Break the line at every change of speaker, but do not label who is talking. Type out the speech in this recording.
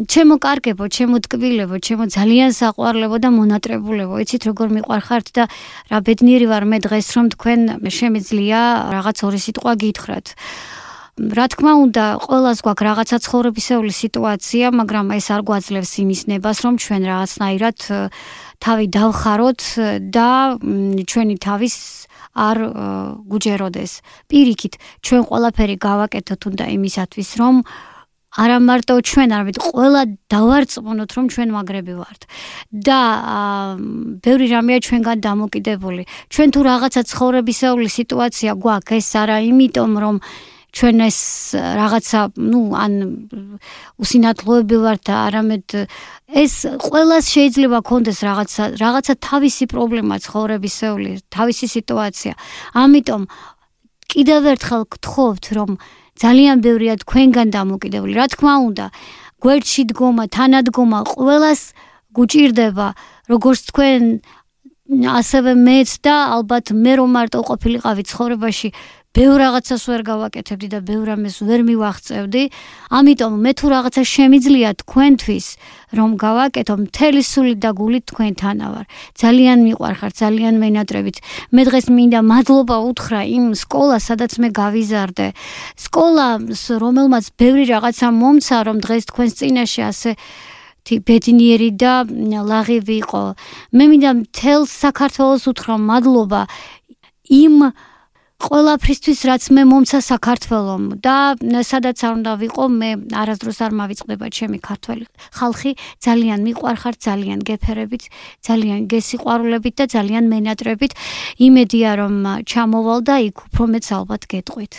ჩემო კარგებო, ჩემო ტკბილებო, ჩემო ძალიან საყვარლებო და მონატრებულებო. იცით როგორ მიყვარხართ და რა ბედნიერი ვარ მე დღეს რომ თქვენ შემიძლია რაღაც ორი სიტყვა გითხრათ. რა თქმა უნდა, ყველას გვაქვს რაღაცა ცხოვრებისეული სიტუაცია, მაგრამ ეს არ გვაძლევს იმის ნებას, რომ ჩვენ რაღაცნაირად თავი დავხაროთ და ჩვენი თავის არ გუჯეროდეს. პირიქით, ჩვენ ყველაფერი გავაკეთოთ უნდა იმისათვის, რომ არა მარტო ჩვენ, არამედ ყველა დავარწმუნოთ, რომ ჩვენ მაგრები ვართ. და ბევრი რამეა ჩვენგან დამოკიდებული. ჩვენ თუ რაღაცა ცხოვრებისეული სიტუაცია გვაქვს, ეს არა იმიტომ, რომ ჩვენ ეს რაღაცა, ან უსინათლოები ვართ და არამედ ეს ყველას შეიძლება ქონდეს რაღაცა თავისი პრობლემა ცხოვრებისეული, თავისი სიტუაცია. ამიტომ კიდევ ერთხელ გთხოვთ, რომ ძალიან ბევრია თქვენგან დამოკიდებული. რა თქმა უნდა, გვერდში დგომა, თანადგომა ყველას გუჭირდება, როგორც თქვენ ასევე მეც და ალბათ მე რომ მარტო ყოფილიყავი ცხოვრებაში, ბევრ რაღაცას ვერ გავაკეთებდი და ბევრ რამეს ვერ მივაღწევდი. ამიტომ მე თუ რაღაცა შემიძლია თქვენთვის რომ გავაკეთო, მთელი სულით და გულით თქვენთანა ვარ. ძალიან მიყვარხართ, ძალიან მენატრებით. მე დღეს მინდა მადლობა უთხრა იმ სკოლას, სადაც მე გავიზარდე. სკოლას, რომელმაც ბევრი რაღაცა მომცა, რომ დღეს თქვენს წინაშე ასე ბედნიერი და ლაღი ვიყო. მე მინდა მთელ საქართველოს უთხრა მადლობა იმ ყველაფრისთვის, რაც მე მომცა საქართველომ და სადაც არ უნდა ვიყო, მე არასდროს არ მავიწყდება ჩემი ქართველი ხალხი, ძალიან მიყვარხართ, ძალიან გეფერებით, ძალიან გესიყვარულებით და ძალიან მენატრებით. იმედია რომ ჩამოვალ და იქ უფრო მეც ალბათ გეტყვით.